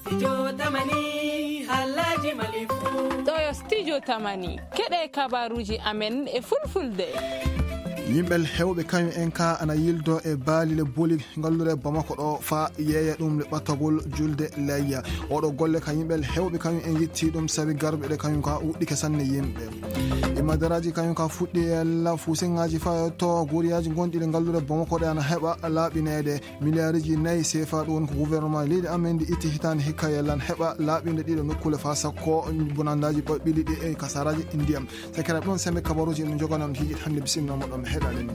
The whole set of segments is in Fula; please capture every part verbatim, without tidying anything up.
Studio Tamani, halaji malifu. Ɗo yo Studio Tamani. Keɗe kabaruji amen e fulfulde. Yimɓe hewɓe kañum en ka ana yildo e baali le boli ngallure Bamako ɗo fa yeeya ɗum le ɓattagol julde layya. Oɗo golle ka yimɓe hewɓe kañum en yetti ɗum sabi garɓe ɗe kañum ka wuɗɗike sanne yimɓe. Imadaraji kañum ka fuɗɗi e la fusengaji fa to goriyaji gonɗi le ngallure Bamako ɗe ana heɓa laaɓineede. Miliyariji nayi sefa ɗum woni ko gouvernement leydi amen ndi itti hitaande hikka yallan heɓa laaɓinde ɗiɗo nokkule fa sakko bonandaji ɓiɗi ɗi e kasaraji ndiyam. Sakira ɗon sembe kabaruji no joganam hiiji hannde bisimilla moɗon heɗaɗen.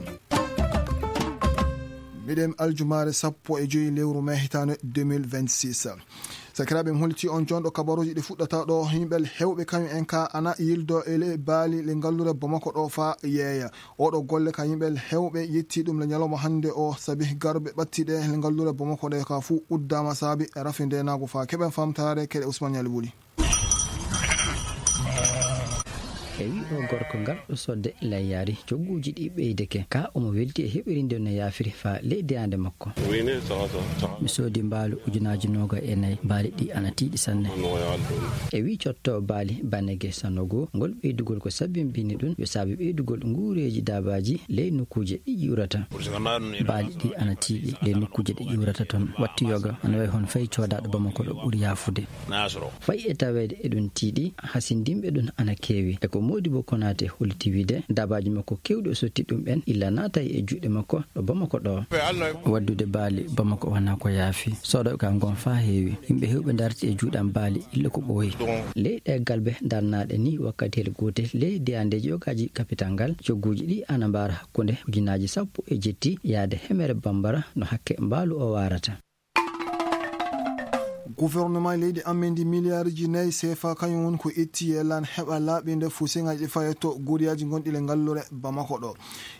Miɗen aljumaare sappo e joyi lewru mai hitaande deux mille vingt-six. Sakiraaɓe, mi hollitii on jonɗo kabaruuji ɗi fuɗɗata ɗo. Yimɓe hewɓe kañum en ka ana yildo e le baali le ngallure Bamako ɗo fa yeeya. Oɗo golle ka yimɓe hewɓe yetti ɗum le ñalawma hannde o, sabi garɓe ɓatti ɗe le ngallure Bamako ɗe ka fuu uddama sabi rafi ndenaagu fa. Keɓen famtaare keɗe Ousmane Yali Buli. E wi o gorko ngal ɗo sodde layyaari, cogguuji ɗi ɓeydeke. Ka omo welti e heɓirinde no yaafiri fa ley deyande makko. Mi soodi mbaalu ujunaaji noga e nayi, baali ɗi ana tiiɗi sanne. E wi cotto baali Banege Sanogo, ngol ɓeydugol ko sabimbini ɗum yo saabi ɓeydugol nguureeji daabaaji ley nokkuuje ɗi ƴuurata. Baali ɗi ana tiiɗi ley nokkuuje ɗi ƴuurata ton. Wattu yoga ana wayi hon fay coodaɗo Bamako ɗo ɓuri yaafude. Fayi e taweede eɗum tiiɗi, hasindinɓe ɗum ana keewi. E ko Modibo Konate holliti wiide, daabaaji makko keewɗi o sotti ɗum en illa naatay e juuɗe makko ɗo Bamako ɗo. Waddude baali Bamako wonaa ko yaafi. Soodooɓe ka ngon faa heewi. Yimɓe heewɓe darti e juuɗe am baali illa ko ɓooyi. Ley ɗe galbe darnaaɗe ni wakkatiyel gootel ley deyandeeji yogaaji kapital ngal, cogguuji ɗi ana mbaara hakkunde ujunaaji sappo e jetti yaade hemere bambara no hakke mbaalu o waarata. Gouvernement leydi amen ndi miliyariji nayi sefa kañum woni ko itti e lan heɓa laaɓinde fuusiŋaaji ɗi fayetto goriyaji gonɗi le ngallure Bamako ɗo.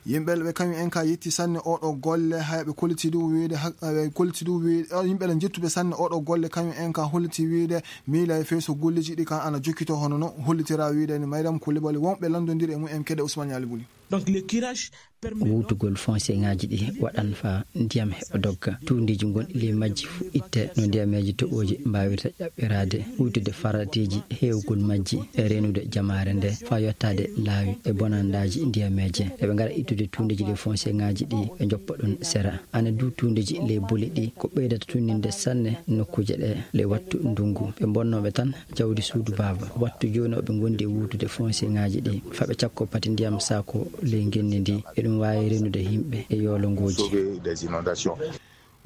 Yimɓe ɓe kañum en ka yetti sanne oɗo golle, hay ɓe kolliti ɗum wiide ha-, ɓe kolliti ɗum wiide, eh, yimɓe ɓe jettuɓe sanne oɗo golle kañum en ka holliti wiide miila e feeso golleji ɗi kan ana jokkito hono no hollitira wiide ni Maydam Kulibali wonɓe lanndondiri e mum en keɗe Ousmane Yali Buli. Donc, le curage permet donc Wuutugol fonseŋaaji ɗi waɗan fa ndiyam heɓa dogga. Tuundeeji gonɗi ley majji fu itte no ndiyameeji toɓooji mbaawirta ƴaɓɓiraade, huytude farateeji heewgol majji e reenude jamaare nde fa yottaade laawi e bonandaaji ndiyameeje. Eɓe ngara ittude tuundeeji ley fonseŋaaji ɗi ɓe njoppa ɗum sera. Ana du tuundeeji ley boli ɗi ko ɓeydata tunninde sanne nokkuuje ɗe ley wattu ndungu. Ɓe bonnooɓe tan jawdi suudu baaba. Wattu jooni oɓe ngondi e wuutude fonseŋaaji ɗi. Faɓe cakko pati ndiyam saako ley ngenndi ndi. Eɗum waawi renude yimɓe e yoolongooji. Sauver des inondations.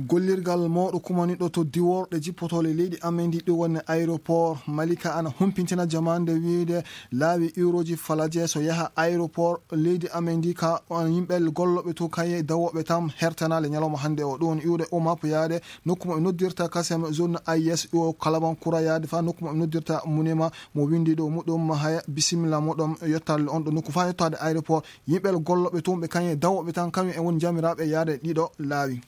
Gollirgal mawɗo kumaniɗo to diworɗe jippotoole leydi amen ndi ɗum woni aéroport Malika ana humpintina jamaande wiide laawi uroji falaje so yaha aéroport leydi amen ndi ka on yimɓe gollooɓe to kaye dawooɓe tam hertanaale ñalawma hannde o. Ɗum woni iwde Omap yaade nokku mo ɓe noddirta Kasem zone A I S o Kalabankura yaade fa nokku mo ɓe noddirta Munema mo windi ɗo muɗum haya bisimilla muɗum yottaade on ɗo nokku fa yottaade aéroport. Yimɓe gollooɓe toon ɓe kañum e dawooɓe tan kañum en woni jamiraaɓe yaade ɗiɗo laawi.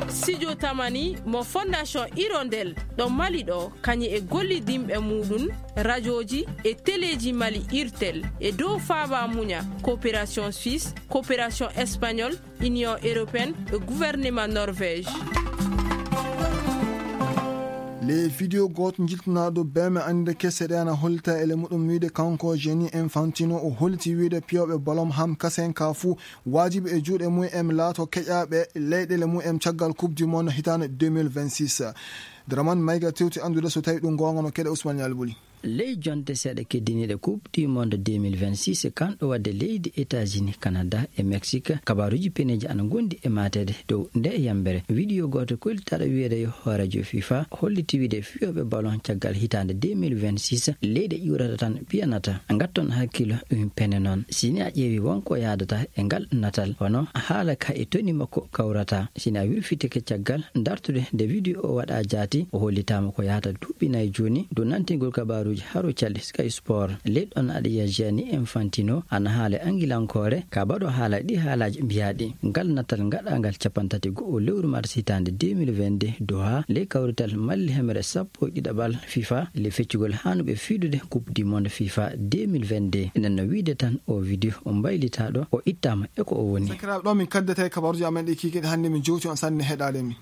Sijo Tamani mo Fondation Hirondelle ɗo Mali ɗo, kañum e gollidinɓe muɗum, rajooji e teleeji Mali Irtel e dow faaba muña coopération suisse, coopération espagnole, Union européenne e gouvernement Norvège. Le vidéo gooto jiltinaaɗo beme annde kese ɗe ana hollita e le muɗum wiide kanko Gianni Infantino o holliti wiide piyooɓe ballon ham kasen ka fuu waajibi e juuɗe mum en laato keƴaaɓe leyɗeele mum en caggal Coupe du Monde hitaande deux mille vingt-six. Dramane Mayga tewti anndude so tawi ɗum goonga no keɗe Ousmane Yali Buli. Ley jonte seeɗa keddiniiɗe Coupe du Monde deux mille vingt-six, kanɗo waɗde leydi États-Unis, Canada e Mexique, kabaaruuji peneeji ana ngondi e maateede dow nde yambere. Vidéo gooto kollitaaɗo wiyeede yo hooreejo FIFA holliti wiide fiyooɓe ballon caggal hitaande deux mille vingt-six, leyɗe ƴuurata tan piyanata. Ngatton hakkilo ɗum pene noon. Si ni a ƴeewi wonko yaadata e ngal natal, hono haala ka e toni makko kawrata. Si ni a wirfitike caggal dartude nde vidéo o waɗa jaati, o hollitaama ko yahata duuɓi nayi jooni dow nantingol kabaaruuji Haro Cali Sky Sport, leyɗon aɗa yiya Gianni Infantino ana haala e Angilankoore, ka baɗo haala ɗi haalaaji mbiyaaɗi ngal natal ngaɗaangal capanɗe tati e go'o lewru mars hitaande deux mille vingt-deux, Doha, ley kawrital malli hemre sappo e ɗiɗaɓal fifa, ley feccugol haanuɓe fiidude Coupe du Monde fifa deux mille vingt-deux. Enen no wiide tan o video o mbaylitaaɗo, o ittaama e ko o woni. Sakiraaɓe, ɗo min kaddata e kabaruuji amen ɗi kiikiiɗe hannde, min jowti on sanne heɗaade min.